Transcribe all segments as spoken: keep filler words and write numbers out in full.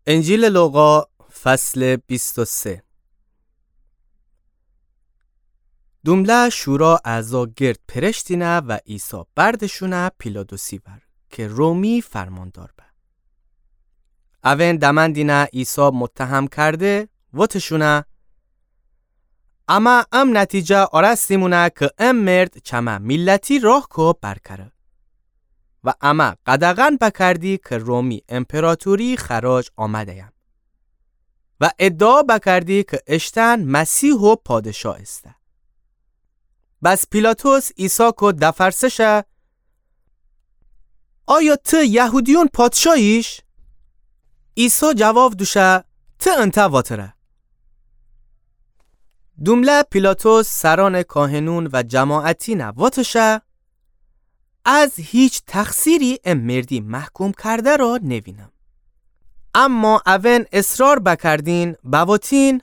انجیلٚ لوقا، فصلٚ بیست و سه. دومله شورا اعضا گرد پرشتینه و عیسی بردشونه پیلاطسی ور که رومی فرماندار به. اون دمندینه عیسی متهم کرده، وتشونه: امه ام نتیجه آرستیمونه که ام مرد چمه میلتی راه کو برکره. و امه قدغن بکردی که رومی امپراطوری خراج آمده‌یم. و ادعا بکردی که اشتن مسیح و پادشاه ایسه. بس پیلاطس عیسی کو دفرسشه: آیا ته یهودیون پادشاهیش؟ عیسی جواب دوشه: ته انته واتره. دومله پیلاطس سرانٚ کاهنون و جماعتینه وتشه: از هیچ تقصیری ام مردی محکوم کرده را نوینم. اما اون اصرار بکردین، بوتین: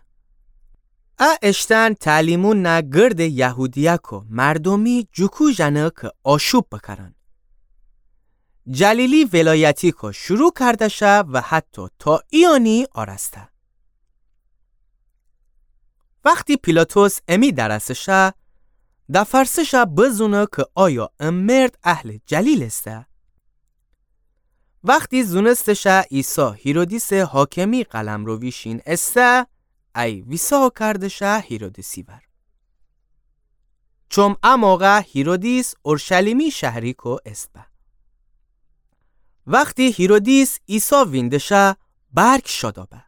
ا اشتن تعلیمون نه گردٚ یهودیه کو مردومی جوکو ژنه که آشوب بکرن. جلیلی ولایتی کو شروع کرده شه و حتی تا ایانی آرسته. وختی پیلاطس امی درسه شه، دفرسه شه بزونه که آیا ام مرد اهلٚ جلیل ایسه. وختی زونسته شه عیسی هیرودیسٚ حاکمی قلمرو ویشین ایسه، ای ویسا کرده شه هیرودیسی ور. چوم ا موقع هیرودیس اورشلیمی شهری کو ایسه به. وختی هیرودیس عیسی وینده شه، برک شادا به.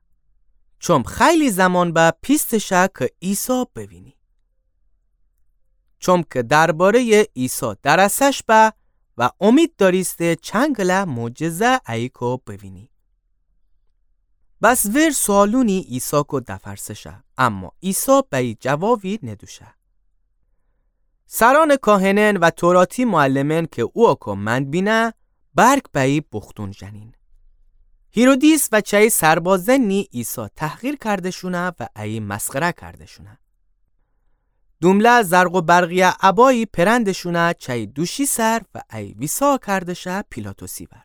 چوم خیلی زمان به پیسته شه که عیسی بوینی. چوم که درباره‌یٚ عیسی درسش به و امید داریسته چنگله معجزه ای کو بوینی. بس ور سوالونی عیسی کو دفرسه شه، اما عیسی بئی جوابی ندوشه. سرانٚ کاهنن و توراتی معلمن که او کو مند بینه، برک بئی بختون ژنین. هیرودیس و چئی سربازنی عیسی تحقیر کردشونه و ای مسخره کردشونه. دومله زرق و برقیه عبایی پرندشونه چئی دوشی سر و ای ویسا کرده شه پیلاطسی ور.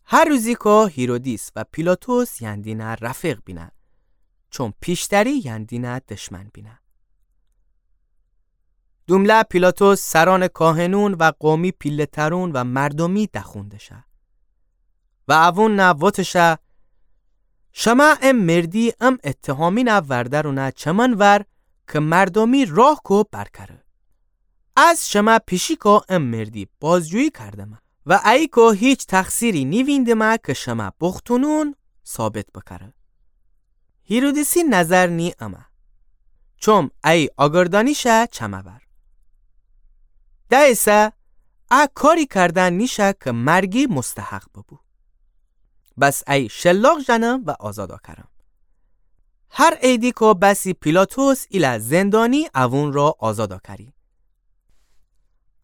هر روزی کو هیرودیس و پیلاطس یندینه رفیق بینه، چوم پیشتری یندینه دشمن بینه. دومله پیلاطس سرانٚ کاهنون و قومی پیله‌ترون و مردومی دخونده شه. و اوون نه وتشه: شمه ام مردی ام اتهامینه وردرونه چمن ور که مردومی راه کو برکره. از شمه پیشی کو ام مردی بازجویی کردمه و ای کو هیچ تقصیری نیویندمه که شمه بختونون ثابت بکره. هیرودیسی نظر نی امه. چوم ای آگردانیشه چمه ور. دئیسه ا کاری کردن نیشه که مرگی مستحق ببو. بس ای شلاق ژنم و آزادا کرم. هر عیدی کو بسی پیلاطس ایله زندانی اوون را آزادا کری.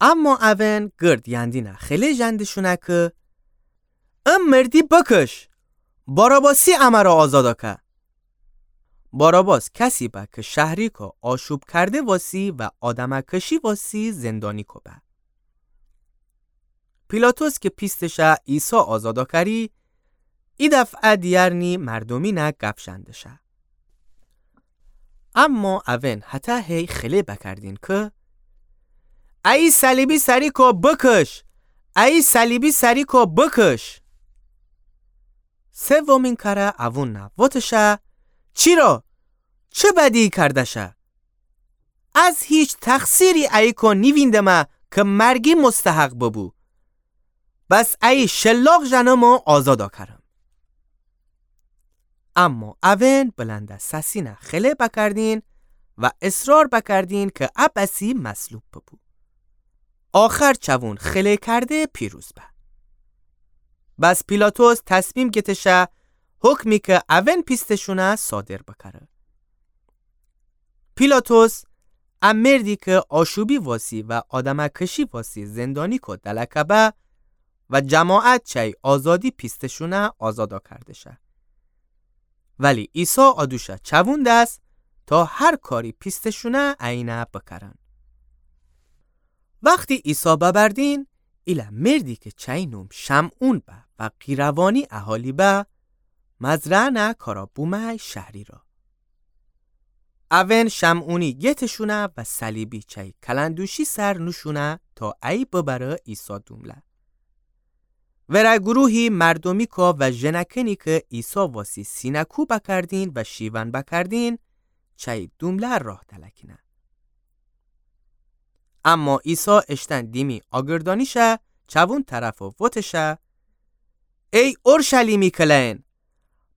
اما اوون گرد یندینه خله ژندشونه که ام مردی بکش، باراباسی امه را آزادا که. باراباس کسی به که شهری کو آشوب کرده واسی و آدمه کشی واسی زندانی کو به. پیلاطس که پیستشه عیسی آزادا کری، ای دفعه دیرنی مردومینه گپ ژندشه. اما اوین هته‌هی خله بکردین که ای صلیبی سری کو بکش، ای صلیبی سری کو بکش. سومین کره اوون نه وتشه، چیرا؟ چه بدی کردشه؟ از هیچ تقصیری ای کو نیویندمه که مرگی مستحق ببو. بس ای شلاق ژنم و آزادا کرم. اما اوین بلند سسینه خله بکردین و اصرار بکردین که ا بسی مصلوب ببو. آخر چوون خله کرده پیروز به. بس پیلاطس تصمیم گتشه حکمی که اوین پیستشونه صادر بکره. پیلاطس ا مردی که آشوبی واسی و آدمه کشی واسی زندانی کو دلکه به و جماعت چی آزادی پیستشونه آزادا کردشه. ولی عیسی آدوشه چوون دس تا هر کاری پیستشونه اینه بکرن. وختی عیسی ببردین، ایله مردی کی چأیی نوم شمعون به و قیروانی اهالی به، مزرعه‌نه کارا بومأی شهری را. اون شمعونی گتشونه و صلیبی چأیی کلندوشی سر نوشونه تا ایی ببره عیسی دومله. وره گروهی مردومیکو و ژنأکأنی کی عیسی واسی سینه‌کو بکردین و شیون بکردین، چأیی دومله راه دلکینه. اما عیسی اشتن دیمی آگردانیشه چوون طرف و وتشه: ای اورشلیمی کلئن،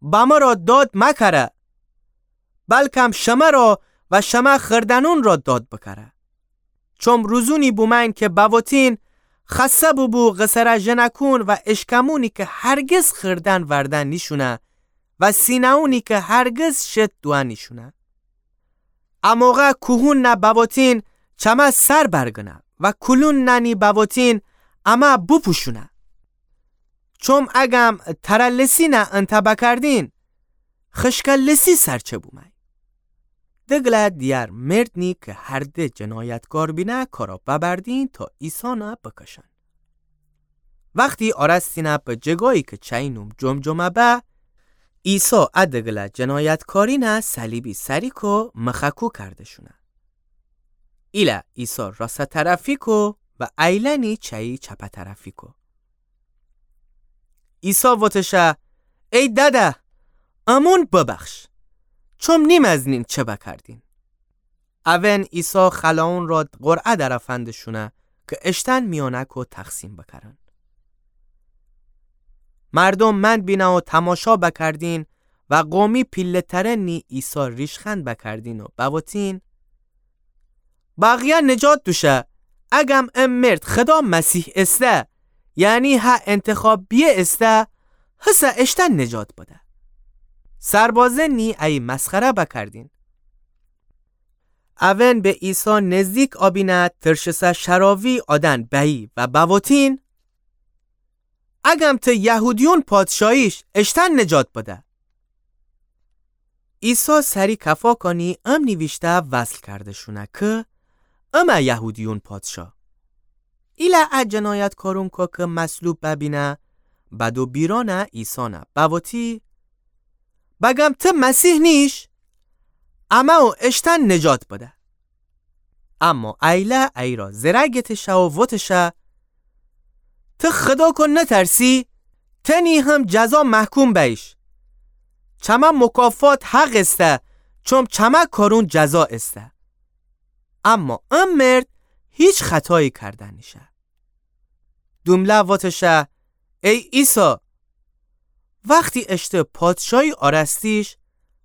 بمه را داد مکره، بلکم شمه را و شمه خردنون را داد بکره. چوم روزونی بومأین کی بوتین، خسته بوبو قصره ژنأکون و اشکمونی کی هرگز خردن وردن نیشونه و سینه‌ونی کی هرگز شت دوه نیشونه. اموقع کوهوننه بوتین چمه سر برگنه و کلونننی بوتین امه بوپوشونه. چوم اگم تره لسینه انته بکردین، خشکه لسی سرچه بومأی. دگله دیگر مردنی کی هر د جنایتکار بینه کارا ببردین تا عیسانه بکشن. وختی آرستینه به جگایی کی چأیی نوم جمجمه به، عیسی ا دگله جنایتکارینه صلیبی سریکو مخکو کرده‌شونه. ایله عیسی راسته طرفیکو و ایلأنی چأیی چپه طرفیکو. عیسی وتشه: ای دده، امون ببخش، چوم نیمزنین چه بکردین. اون عیسی خلأون را قرعه درفنده‌شونه کی اشتن میانکو تقسیم بکرن. مردوم مأند بینه و تماشا بکردین و قومی پیله‌ترنی عیسی ریشخند بکردین و بوتین: بقیه نجات دوشه، اگم ا مرد خدا مسیح ایسته، یعنی هه انتخابیه ایسته، هسه اشتن نجات بده. سربازنی ایی مسخره بکردین. اون به عیسی نزدیک آبینه ترشسه شراوی آدن بأیی و بوتین: اگم ته یهودیون پادشاییش، اشتن نجات بده. عیسی سری کفا کانی ام نیویشته وصل کرده‌شونه کی: امه یهودیون پادشا. ایله ا جنایتکارونکو کی مصلوب ببینه، بدو بیرانه عیسانه بوتی: بگم ته مسیح نیش؟ امه و اشتن نجات بده. اما ایله ایرا زره گتشه و وتشه: ته خداکو نترسی؟ تنی هم جزا محکوم بئیش. چمه مکافات حق ایسته، چوم چمه کارون جزا ایسته. اما ا مرد هیچ خطایی کرده نیشه. دومله وتشه: ای عیسی، وختی اشته پادشایی آرستیش،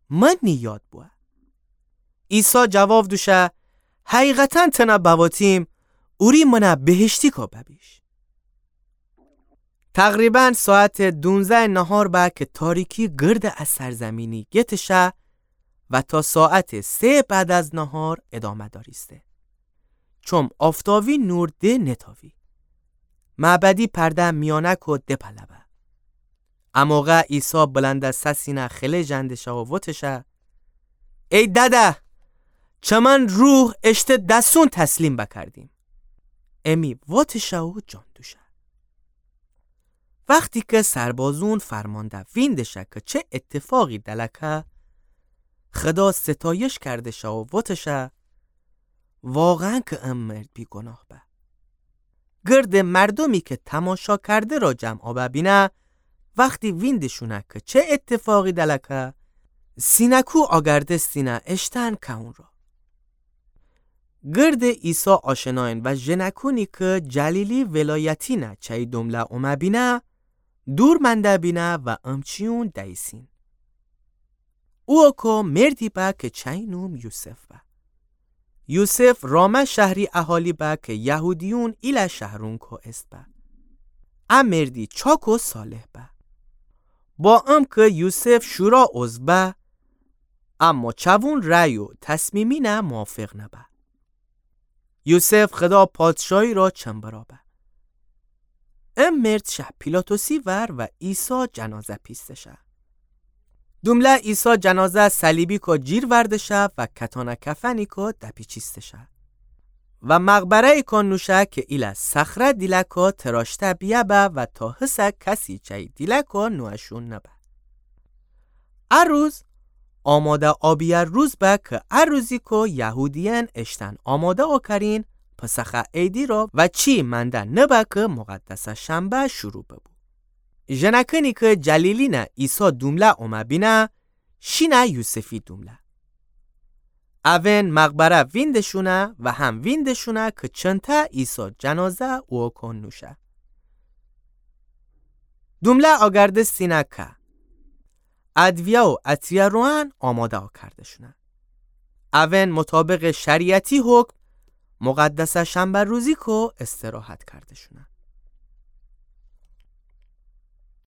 من نیاد بوه. عیسی جواب دوشه: حقیقتاً تنه بوتیم، اوری منه بهشتیکو ببیش. تقریباً ساعت دونزده نهار به کی تاریکی گرد ا سرزمینی گتشه و تا ساعت سه بعد از نهار ادامه داریسته. چوم آفتاوی نور ده نتاوی. معبدی پرده میانکو دپله به. اموقع عیسی بلند سسینه خله ژندشه و وتشه: ای دده، چمن روح اشته دستون تسلیم بکردیم. امی وتشه و جان دوشه. وختی کی سربازون فرمانده ویندشه کی چه اتفاقی دلکه، خدا ستایش کردشه و وتشه: واقعاً کی ا مرد بیگناه به. گرد مردومی کی تماشا کرده را جمع آبه بینه، وختی ویندشونه کی چه اتفاقی دلکه، سینه‌کو آگردستینه اشتن کهون را. گرد عیسی آشناین و ژنکونی کی جلیلی ولایتینه چی دومله اومه بینه، دور منده بینه و امچیون دیسین. اوکو مردی به کی چی نوم یوسف به. یوسف رامه شهری اهالی به کی یهودیون ایله شهرونکو ایسه به. ا مردی چاک و صالح به. با ام کی یوسف شورا عضو به، اما چوون رأی و تصمیمینه موافق نبه. یوسف خدا پادشایی را چنبرا به. ا مرد شه پیلاطسی ور و عیسی جنازه پیستشه. دومله عیسی جنازه صلیبیکو جیر وردشه و کتانه کفنیکو دپیچیستشه. و مقبره‌ییکو نوشه کی ایله صخره دیله‌کو تراشته بیه‌به و تا هسه کسی چأیی دیله‌کو نوأشون نبه. ا روز آماده آبیه روز به کی ا روزیکو یهودیأن اشتأن آماده اوکرین پسخه عیدی رو و چی منده نبه کی مقدسه شنبه شروع ببو. ژنأکأنی کی جلیلینه عیسی دومله اومه بینه، شینه یوسفی دومله. اوئن مقبره ویندشونه و هم ویندشونه کی چنته عیسی جنازه اوکو نوشه. دومله آگردستینه که ادویه و عطریه روأن آماده اوکردشونه. اوئن مطابق شریعتی حکم مقدسه شنبه روزیکو استراحت کردشونه.